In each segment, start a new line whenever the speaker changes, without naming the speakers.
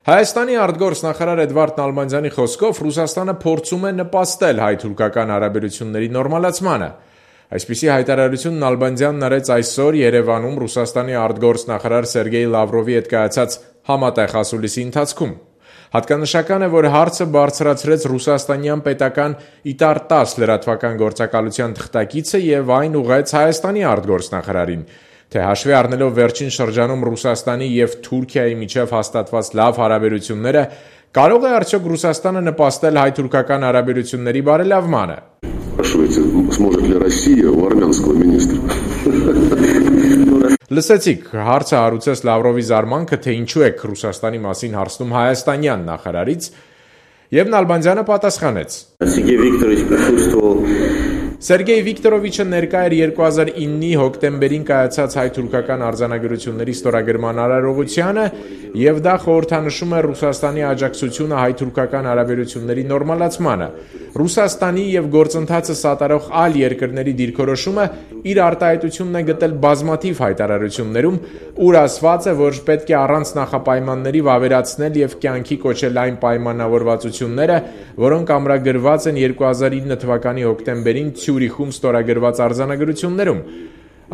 Հայաստանի արտգործնախարար Էդվարդ Նալբանդյանի խոսքով Ռուսաստանը փորձում է նպաստել հայ-թուրքական հարաբերությունների նորմալացմանը։ Այսպիսի հայտարարություն Նալբանդյանն արեց այսօր Երևանում Ռուսաստանի արտգործնախարար Սերգեյ Լավրովի հետ կայացած համատեղ ասուլիսի ընթացքում։ Հատկանշական է, որ հարցը բարձրացրեց ռուսաստանյան պետական Իտար-10 լրատվական գործակալության թղթակիցը եւ այն ուղղեց Հայաստանի արտգործնախարարին, թե հաշվի առնելով վերջին շրջանում Ռուսաստանի եւ Թուրքիայի միջև հաստատված լավ հարաբերությունները, կարող է արդյոք Ռուսաստանը նպաստել հայ-թուրքական հարաբերությունների բարելավմանը։ Լսեցիք, հարցը հարուցեց Լավրովի զարմանքը, թե ինչու է Ռուսաստանի մասին հարցնում հայաստանյան նախարարից, եւ Նալբանդյանը պատասխանեց. Սերգեյ Վիկտորովիչը ներկա էր 2009-ի հոկտեմբերին կայացած հայ-թուրքական արձանագրությունների ստորագրման արարողությանը եւ դա խորհրդանշում է Ռուսաստանի աջակցությունը հայ-թուրքական հարաբերությունների նորմալացմանը։ Ռուսաստանի եւ գործընթացը սատարող այլ երկրների դիրքորոշումը իր արտահայտությունն է գտել բազմաթիվ հայտարարություններում, ուր ասված է, որ պետք է առանց նախապայմանների վավերացնել եւ կյանքի կոչել այն պայմանավորվածությունները, որոնք ամրագրված են 2009 թվականի հոկտեմբերին Ցյուրիխում ստորագրված արձանագրություններում։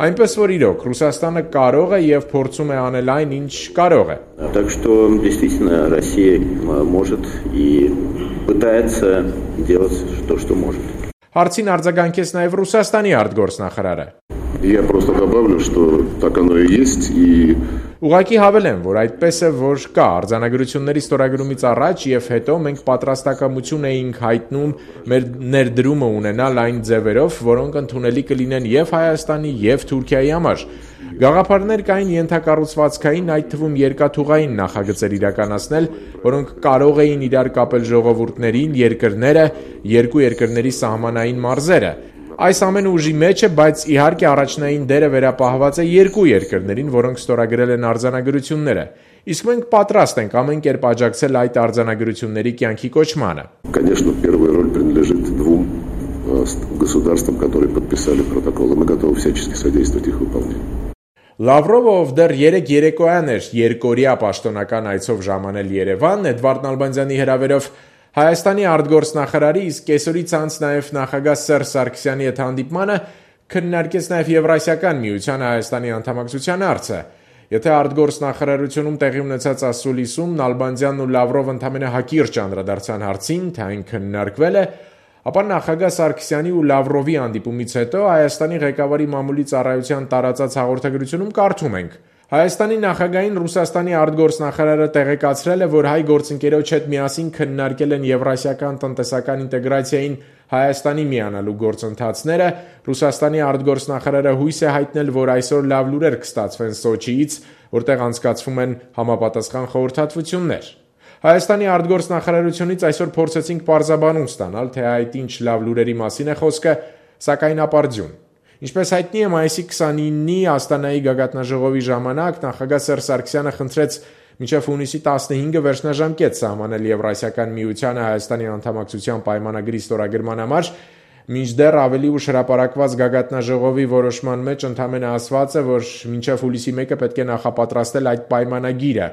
Այնպես որ իրոք Ռուսաստանը կարող է եւ փորձում է անել այն, ինչ կարող է։
Так что действительно Россия может и пытается делать то, что может.
Հարցին արձագանքեց նաեւ Ռուսաստանի արտգործնախարարը։
Я просто добавлю, что так оно и есть, и
Ուղղակի հավելեմ, որ այդպես է, որ կա արձանագրությունների ստորագրումից առաջ եւ հետո մենք պատրաստակամություն էինք հայտնում մեր ներդրումը ունենալ այն ձևերով, որոնք ընդունելի կլինեն եւ Հայաստանի եւ Թուրքիայի համար։ Գաղափարներ կային ենթակառուցվածքային, այդ թվում երկաթուղային նախագծեր իրականացնել, որոնք կարող էին իրար կապել ժողովուրդներին, երկրները, երկու երկրների սահմանային մարզերը։ Այս ամենը ուժի մեջ է, բայց իհարկե առաջնային դերը վերապահված է երկու երկրներին, որոնք ստորագրել են արձանագրությունները։ Իսկ մենք պատրաստ ենք ամեն կերպ աջակցել այդ արձանագրությունների կյանքի կոչմանը։
Конечно, первая роль принадлежит двум государствам, которые подписали протокол, и мы готовы всячески содействовать их выполнению.
Լավրովը, ով դեռ երեկոյան էր երկօրյա պաշտոնական այցով ժամանել Երևան, Էդվարդ Նալբանդյանի հրավերով Հայաստանի արտգործնախարարի, իսկ կեսօրից անց նաև նախագահ Սերժ Սարգսյանի հետ հանդիպմանը քննարկեց նաև Եվրասիական միության Հայաստանի անդամակցության հարցը։ Եթե արտգործնախարարությունում տեղի ունեցած ասուլիսում Նալբանդյանն ու Լավրովը ընդամենը հակիրճ անդրադարձան հարցին, թե այն քննարկվել է, ապա նախագահ Սարգսյանի ու Լավրովի հանդիպումից հետո Հայաստանի ղեկավարի մամուլի ծառայության տարածած հաղորդագրությունում կարդում ենք. Հայաստանի նախագահին Ռուսաստանի արտգործնախարարը տեղեկացրել է, որ հայ գործընկերոջ հետ միասին քննարկել են Եվրասիական տնտեսական ինտեգրացիային Հայաստանի միանալու գործընթացները։ Ռուսաստանի արտգործնախարարը հույս է հայտնել, որ այսօր լավ լուրեր կստացվեն Սոչիից, որտեղ անցկացվում են համապատասխան խորհրդատվություններ։ Հայաստանի արտգործնախարարությունից այսօր փորձեցինք պարզաբանում ստանալ, թե այդ ինչ լավ լուրերի մասին է խոսքը, սակայն ապարդյուն։ Ինչպես հայտնի է, մայիսի 29-ի Աստանայի գագաթնաժողովի ժամանակ նախագահ Սերժ Սարգսյանը խնդրեց մինչև հունիսի 15-ը վերջնաժամկետ սահմանել Եվրասիական միությանը Հայաստանի անդամակցության պայմանագրի ստորագրման համար, մինչդեռ ավելի ուշ հրապարակված գագաթնաժողովի որոշման մեջ ընդամենը ասված է, որ մինչև հուլիսի 1-ը պետք է նախապատրաստել այդ պայմանագիրը,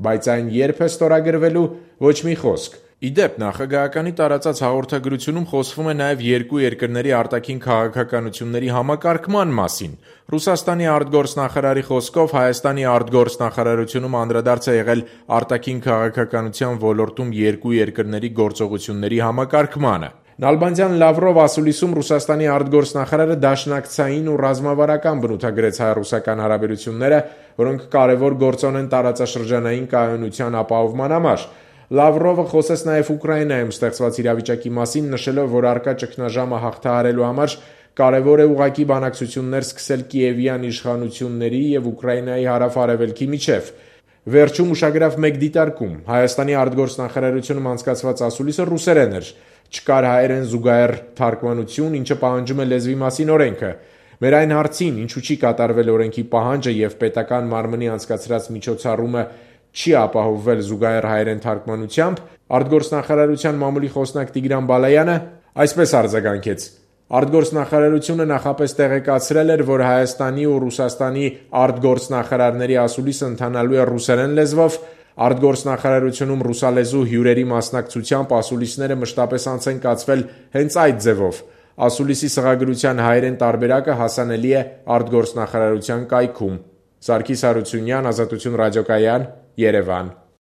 բայց այն երբ է ստորագրվելու, ոչ մի խոսք։ Իդեպ, նախագահականի տարածած հաղորդագրությունում խոսվում է նաև երկու երկրների արտաքին քաղաքականությունների համակարգման մասին։ Ռուսաստանի արտգործնախարարի խոսքով Հայաստանի արտգործնախարարությունում անդրադարձ է եղել արտաքին քաղաքականության ոլորտում երկու երկրների գործողությունների համակարգմանը։ Նալբանդյան-Լավրով ասուլիսում Ռուսաստանի արտգործնախարարը դաշնակցային ու ռազմավարական բնութագրեց հայ-ռուսական հարաբերությունները, որոնք կարևոր գործոն են տարածաշրջանային կայունության ապահովման համար։ Լավրովը խոսեց նաև Ուկրաինայում ստեղծված իրավիճակի մասին, նշելով, որ առկա ճգնաժամը հաղթահարելու համար կարևոր է ուղղակի բանակցություններ սկսել Կիևյան իշխանությունների եւ Ուկրաինայի հարավ-արևելքի միջև։ Վերջում ուշագրավ մեկ դիտարկում. Հայաստանի արտգործնախարարությունում անցկացված ասուլիսը ռուսերեն էր։ Չկար հայերեն զուգահեռ թարգմանություն, ինչը պահանջում է լեզվի մասին օրենքը։ Մեր այն հարցին, ինչու չի կատարվել օրենքի պահանջը եւ պետական մարմնի անցկացրած միջոցառումը չի ապահովվել զուգահեռ հայերեն թարգմանությամբ, արտգործնախարարության մամուլի խոսնակ Տիգրան Բալայանը այսպես արձագանքեց. Արտգործնախարարությունը նախապես տեղեկացրել էր, որ Հայաստանի ու Ռուսաստանի արտգործնախարարների ասուլիսը ընթանալու է ռուսերեն լեզվով, Արտգործնախարարությունում ռուսալեզու հյուրերի մասնակցությամբ ասուլիսները մշտապես անց են կացվել հենց այդ ձևով։ Ասուլիսի սղագրության հայերեն տարբերակը հասանելի է արտգործնախարարության կայքում։ Սարգիս Հարությունյան, Ազատություն ռադիոկայան, Երևան։